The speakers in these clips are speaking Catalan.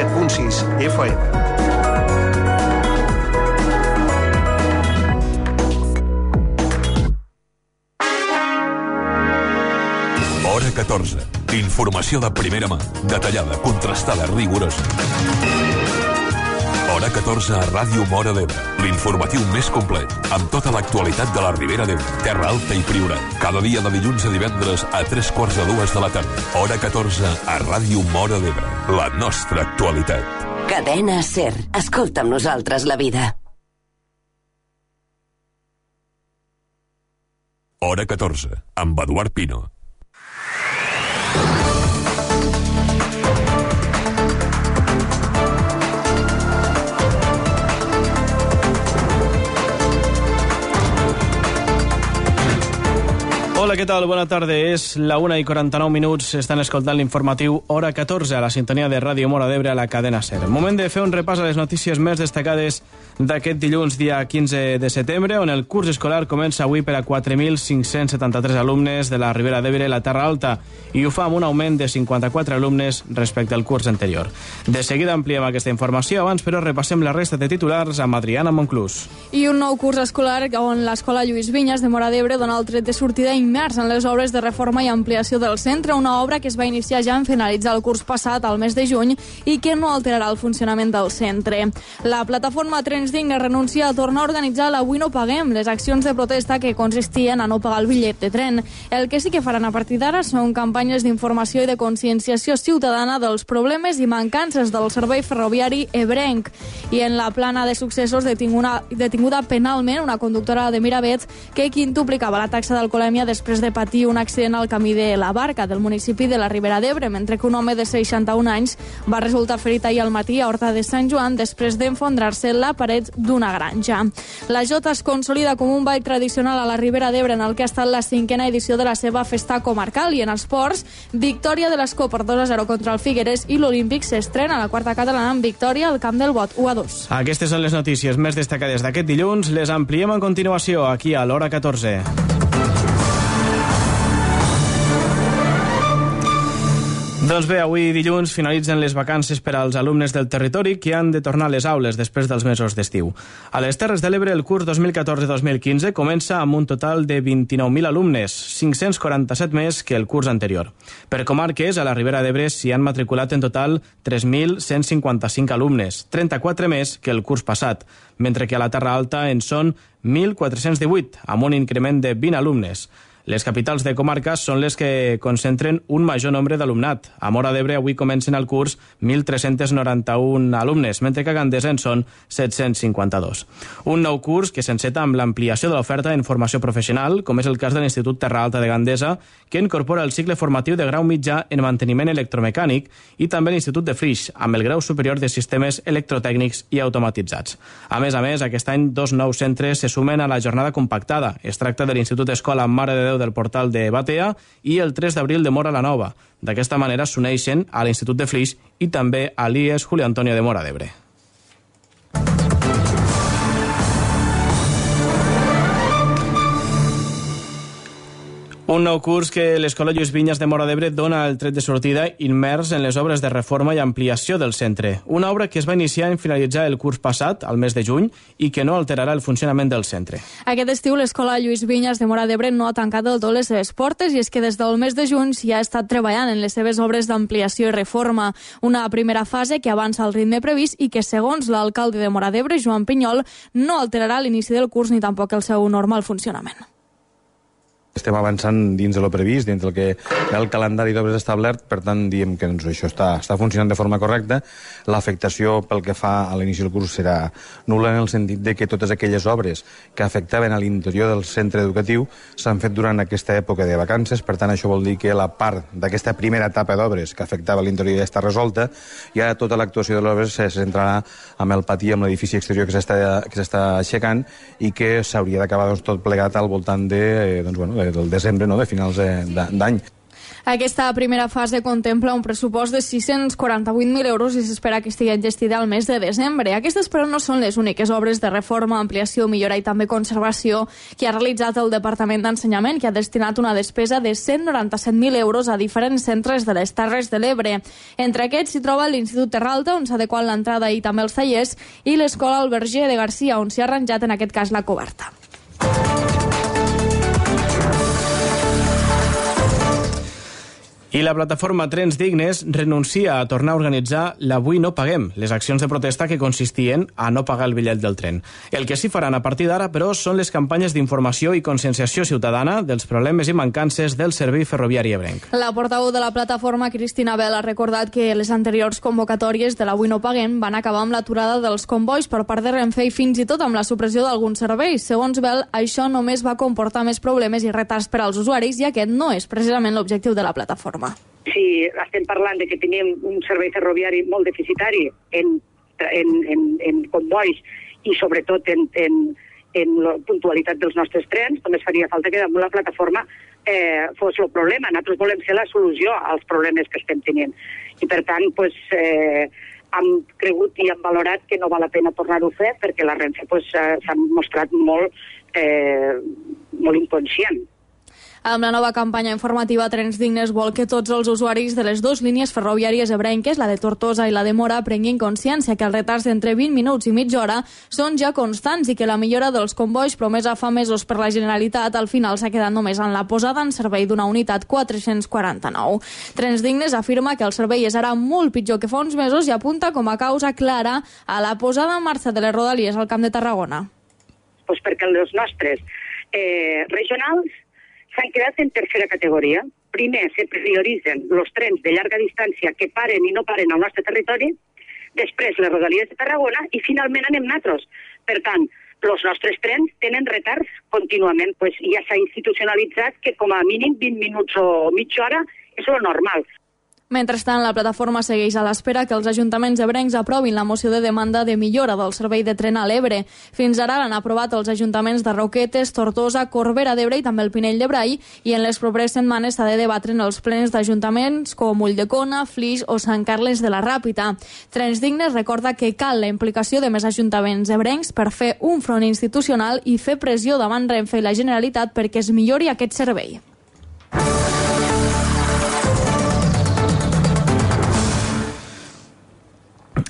107.6 FM. Hora 14. Informació de primera mà, detallada, contrastada, rigorosa. Hora 14 a Ràdio Móra d'Ebre. L'informatiu més complet, amb tota l'actualitat de la Ribera d'Ebre, Terra Alta i Priorat. Cada dia de dilluns a divendres a 3:45 de la tarda. Hora 14 a Ràdio Móra d'Ebre. La nostra actualitat. Cadena SER. Escolta amb nosaltres la vida. Hora 14, amb Eduard Pino. Hola, què tal? Bona tarda. És la 1:49. Estan escoltant l'informatiu Hora 14 a la sintonia de Ràdio Móra d'Ebre a la cadena SER. Moment de fer un repàs a les notícies més destacades d'aquest dilluns, dia 15 de setembre, on el curs escolar comença avui per a 4.573 alumnes de la Ribera d'Ebre i la Terra Alta, i ho fa amb un augment de 54 alumnes respecte al curs anterior. De seguida ampliem aquesta informació, abans però repassem la resta de titulars amb Adriana Monclús. I un nou curs escolar on l'Escola Lluís Vinyes de Móra d'Ebre dona el tret de sortida immers en les obres de reforma i ampliació del centre, una obra que es va iniciar ja en finalitzar el curs passat, al mes de juny, i que no alterarà el funcionament del centre. La plataforma Trens Dignes renuncia a tornar a organitzar l'Avui no paguem, les accions de protesta que consistien a no pagar el bitllet de tren. El que sí que faran a partir d'ara són campanyes d'informació i de conscienciació ciutadana dels problemes i mancances del servei ferroviari ebrenc. I en la plana de successos, detinguda penalment una conductora de Miravet que quintuplicava la taxa d'alcoholèmia després de patir un accident al camí de la Barca, del municipi de la Ribera d'Ebre, mentre que un home de 61 anys va resultar ferit ahir al matí a Horta de Sant Joan després d'enfondrar-se la paret d'una granja. La Jota es consolida com un ball tradicional a la Ribera d'Ebre en el que ha estat la 5a edició de la seva festa comarcal, i en esports, victòria de l'Escó per 2-0 contra el Figueres, i l'Olímpic s'estrena a la quarta catalana amb victòria al camp del Bot, 1-2. Aquestes són les notícies més destacades d'aquest dilluns. Les ampliem a continuació aquí a l'Hora 14. Doncs bé, avui dilluns finalitzen les vacances per als alumnes del territori que han de tornar a les aules després dels mesos d'estiu. A les Terres de l'Ebre, el curs 2014-2015 comença amb un total de 29.000 alumnes, 547 més que el curs anterior. Per comarques, a la Ribera d'Ebre s'hi han matriculat en total 3.155 alumnes, 34 més que el curs passat, mentre que a la Terra Alta en són 1.418, amb un increment de 20 alumnes. Les capitals de comarques són les que concentren un major nombre d'alumnat. A Móra d'Ebre avui comencen el curs 1.391 alumnes, mentre que a Gandesa en són 752. Un nou curs que s'enceta amb l'ampliació de l'oferta en formació professional, com és el cas de l'Institut Terra Alta de Gandesa, que incorpora el cicle formatiu de grau mitjà en manteniment electromecànic, i també l'Institut de Flix, amb el grau superior de sistemes electrotècnics i automatitzats. A més, aquest any 2 nous centres se sumen a la jornada compactada. Es tracta de l'Institut Escola Mare de Déu del Portal de Batea i el 3 d'abril de Móra la Nova. D'aquesta manera s'uneixen a l'Institut de Flix i també a l'IES Julio Antonio de Móra d'Ebre. Un nou curs que l'Escola Lluís Vinyes de Móra d'Ebre dona el tret de sortida immers en les obres de reforma i ampliació del centre. Una obra que es va iniciar en finalitzar el curs passat, al mes de juny, i que no alterarà el funcionament del centre. Aquest estiu l'Escola Lluís Vinyes de Móra d'Ebre no ha tancat del tot les seves portes, i és que des del mes de juny s'hi ha estat treballant en les seves obres d'ampliació i reforma. Una primera fase que avança al ritme previst i que, segons l'alcalde de Móra d'Ebre, Joan Pinyol, no alterarà l'inici del curs ni tampoc el seu normal funcionament. Estem avançant dins de lo previst, dins del que el calendari d'obres establert, per tant diem que això està funcionant de forma correcta. L'afectació pel que fa a l'inici del curs serà nul·la en el sentit de que totes aquelles obres que afectaven a l'interior del centre educatiu s'han fet durant aquesta època de vacances, per tant això vol dir que la part d'aquesta primera etapa d'obres que afectava l'interior ja està resolta, i ara tota l'actuació de l'obres se centrarà amb el pati, amb l'edifici exterior que s'està aixecant, i que s'hauria d'acabar tot plegat al voltant de, del desembre, de finals d'any. Aquesta primera fase contempla un pressupost de 648.000 euros i s'espera que estigui enllestida al mes de desembre. Aquestes, però, no són les úniques obres de reforma, ampliació, millora i també conservació que ha realitzat el Departament d'Ensenyament, que ha destinat una despesa de 197.000 euros a diferents centres de les Terres de l'Ebre. Entre aquests s'hi troba l'Institut Terra Alta, on s'ha adequat l'entrada i també els tallers, i l'Escola Alberger de Garcia, on s'hi ha arranjat en aquest cas la coberta. I la plataforma Trens Dignes renuncia a tornar a organitzar l'Avui no paguem, les accions de protesta que consistien a no pagar el bitllet del tren. El que sí faran a partir d'ara, però, són les campanyes d'informació i conscienciació ciutadana dels problemes i mancances del servei ferroviari ebrenc. La portaveu de la plataforma, Cristina Bel, ha recordat que les anteriors convocatòries de l'Avui no paguem van acabar amb l'aturada dels convois per part de Renfe i fins i tot amb la supressió d'alguns serveis. Segons Bel, això només va comportar més problemes i retards per als usuaris i aquest no és precisament l'objectiu de la plataforma. Si estem parlant de que tenim un servei ferroviari molt deficitari en convois i sobretot en la puntualitat dels nostres trens, només faria falta que damunt la plataforma fos el problema. Nosaltres volem ser la solució als problemes que estem tenint. I per tant, hem cregut i hem valorat que no val la pena tornar-ho a fer perquè la Renfe s'ha mostrat molt inconscient. Amb la nova campanya informativa, Trens Dignes vol que tots els usuaris de les dues línies ferroviàries ebrenques, la de Tortosa i la de Mora, prenguin consciència que els retards d'entre 20 minuts i mitja hora són ja constants i que la millora dels convois promesa fa mesos per la Generalitat al final s'ha quedat només en la posada en servei d'una unitat 449. Trens Dignes afirma que el servei és ara molt pitjor que fa uns mesos i apunta com a causa clara a la posada en marxa de les rodalies al Camp de Tarragona. Pues perquè els nostres regionals s'han quedat en tercera categoria. Primer se prioritzen els trens de llarga distància que paren i no paren al nostre territori, després les rodalies de Tarragona i finalment anem nosaltres. Per tant, els nostres trens tenen retards contínuament. Ja s'ha institucionalitzat que com a mínim 20 minuts o mitja hora és lo normal. Mentrestant, la plataforma segueix a l'espera que els ajuntaments ebrencs aprovin la moció de demanda de millora del servei de tren a l'Ebre. Fins ara l'han aprovat els ajuntaments de Roquetes, Tortosa, Corbera d'Ebre i també el Pinell de Brai, i en les properes setmanes s'ha de debatre en els plens d'ajuntaments com Ulldecona, Flix o Sant Carles de la Ràpita. Trens Dignes recorda que cal la implicació de més ajuntaments ebrencs per fer un front institucional i fer pressió davant Renfe i la Generalitat perquè es millori aquest servei.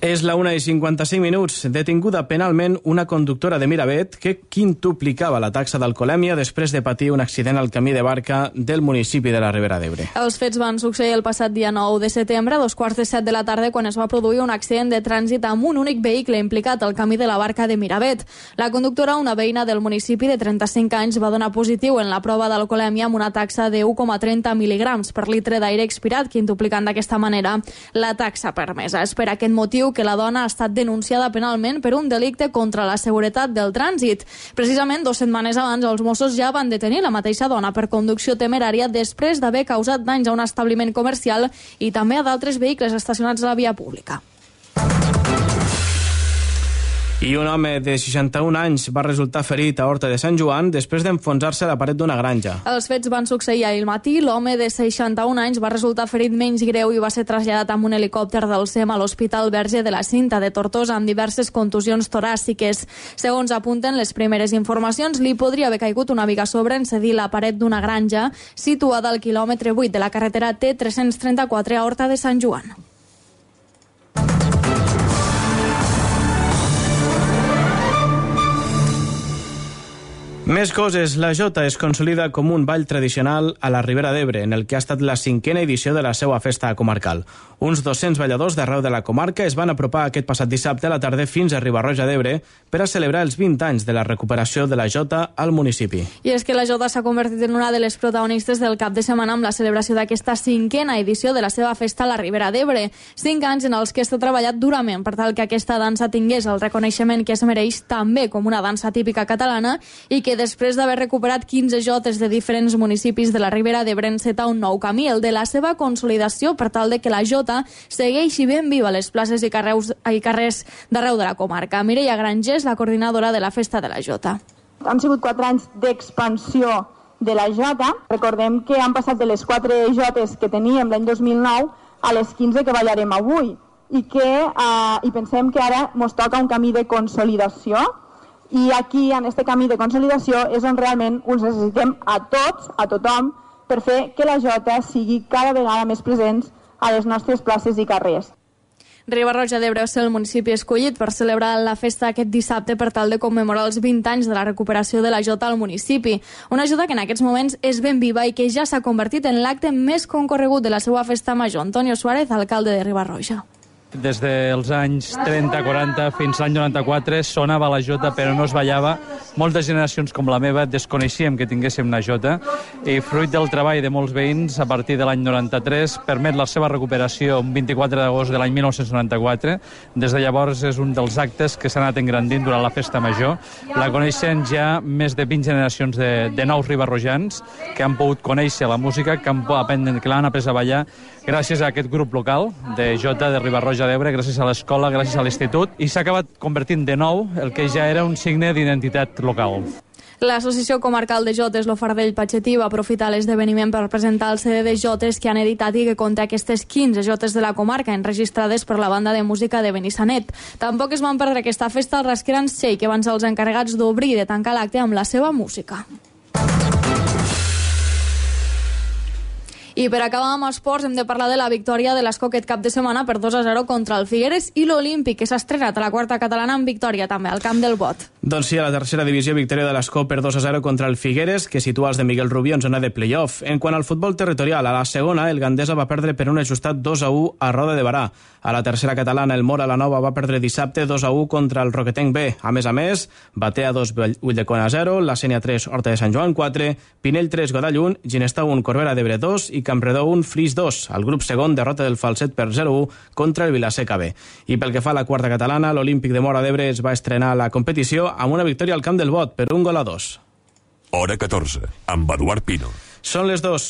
És la 1:55. Detinguda penalment una conductora de Miravet que quintuplicava la taxa d'alcoholèmia després de patir un accident al camí de barca del municipi de la Ribera d'Ebre. Els fets van succeir el passat dia 9 de setembre, a 2:45 de la tarda, quan es va produir un accident de trànsit amb un únic vehicle implicat al camí de la barca de Miravet. La conductora, una veïna del municipi de 35 anys, va donar positiu en la prova d'alcoholèmia amb una taxa de 1,30 mil·ligrams per litre d'aire expirat, quintuplicant d'aquesta manera la taxa permesa. És per aquest motiu que la dona ha estat denunciada penalment per un delicte contra la seguretat del trànsit. Precisament 2 setmanes abans, els Mossos ja van detenir la mateixa dona per conducció temerària després d'haver causat danys a un establiment comercial i també a d'altres vehicles estacionats a la via pública. I un home de 61 anys va resultar ferit a Horta de Sant Joan després d'enfonsar-se a la paret d'una granja. Els fets van succeir ahir al matí. L'home de 61 anys va resultar ferit menys greu i va ser traslladat amb un helicòpter del SEM a l'Hospital Verge de la Cinta de Tortosa amb diverses contusions toràciques. Segons apunten les primeres informacions, li podria haver caigut una viga a sobre en cedir la paret d'una granja situada al quilòmetre 8 de la carretera T334 a Horta de Sant Joan. Més coses. La Jota es consolida com un ball tradicional a la Ribera d'Ebre, en el que ha estat la 5a edició de la seva festa comarcal. Uns 200 balladors d'arreu de la comarca es van apropar aquest passat dissabte a la tarda fins a Riba-roja d'Ebre per a celebrar els 20 anys de la recuperació de la Jota al municipi. I és que la Jota s'ha convertit en una de les protagonistes del cap de setmana amb la celebració d'aquesta 5a edició de la seva festa a la Ribera d'Ebre. 5 anys en els que està treballat durament per tal que aquesta dansa tingués el reconeixement que es mereix també com una dansa típica catalana i que després d'haver recuperat 15 jotes de diferents municipis de la Ribera d'Ebre enceta un nou camí, el de la seva consolidació per tal de que la Jota segueixi ben viva a les places i carrers d'arreu de la comarca. Mireia Grangés, la coordinadora de la Festa de la Jota. Han sigut 4 anys d'expansió de la Jota. Recordem que han passat de les 4 Jotes que teníem l'any 2009 a les 15 que ballarem avui i pensem que ara ens toca un camí de consolidació i aquí, en aquest camí de consolidació, és on realment us necessitem a tots, a tothom, per fer que la Jota sigui cada vegada més presents a les nostres places i carrers. Riba-roja d'Ebre és el municipi escollit per celebrar la festa aquest dissabte per tal de commemorar els 20 anys de la recuperació de la Jota al municipi. Una Jota que en aquests moments és ben viva i que ja s'ha convertit en l'acte més concorregut de la seva festa major. Antonio Suárez, alcalde de Riba-roja. Des dels anys 30-40 fins l'any 94 sonava la Jota però no es ballava. Moltes generacions com la meva desconeixíem que tinguéssim una Jota i fruit del treball de molts veïns a partir de l'any 93 permet la seva recuperació un 24 d'agost de l'any 1994. Des de llavors és un dels actes que s'ha anat engrandint durant la festa major. La coneixen ja més de 20 generacions de nous ribarrojans que han pogut conèixer la música, que l'han après a ballar gràcies a aquest grup local de Jota de Riba-roja d'Ebre, gràcies a l'escola, gràcies a l'institut, i s'ha acabat convertint de nou el que ja era un signe d'identitat local. L'Associació Comarcal de Jotes, l'Ofardell Patxetí, va aprofitar l'esdeveniment per presentar el CD de Jotes que han editat i que conté aquestes 15 Jotes de la comarca enregistrades per la banda de música de Benissanet. Tampoc es van perdre aquesta festa al Rasqueran Sei, que van ser els encarregats d'obrir i de tancar l'acte amb la seva música. I per acabar amb esports hem de parlar de la victòria de l'Esco aquest cap de setmana per 2-0 contra el Figueres i l'Olímpic, que s'ha estrenat a la quarta catalana amb victòria també al camp del Bot. Doncs sí, a la tercera divisió, victòria de l'Esco per 2-0 contra el Figueres, que situa els de Miguel Rubí en zona de play-off. En quant al futbol territorial, a la segona, el Gandesa va perdre per un ajustat 2-1 a Roda de Barà. A la tercera catalana, el Mora la Nova va perdre dissabte 2-1 contra el Roquetenc B. A més, Batea 2, Ulldecona 0, la Sènia 3, Horta de Sant Joan 4, Pinell 3, Godall 1, Ginestà 1, Corbera d'Ebre 2 i Campredó 1, Flix 2. Al grup segon, derrota del Falset per 0-1 contra el Vilaseca B. I pel que fa a la quarta catalana, l'Olímpic de Móra d'Ebre es va estrenar a la competició amb una victòria al camp del Bot per 1-2. Hora 14, amb Eduard Pino. Són les 2.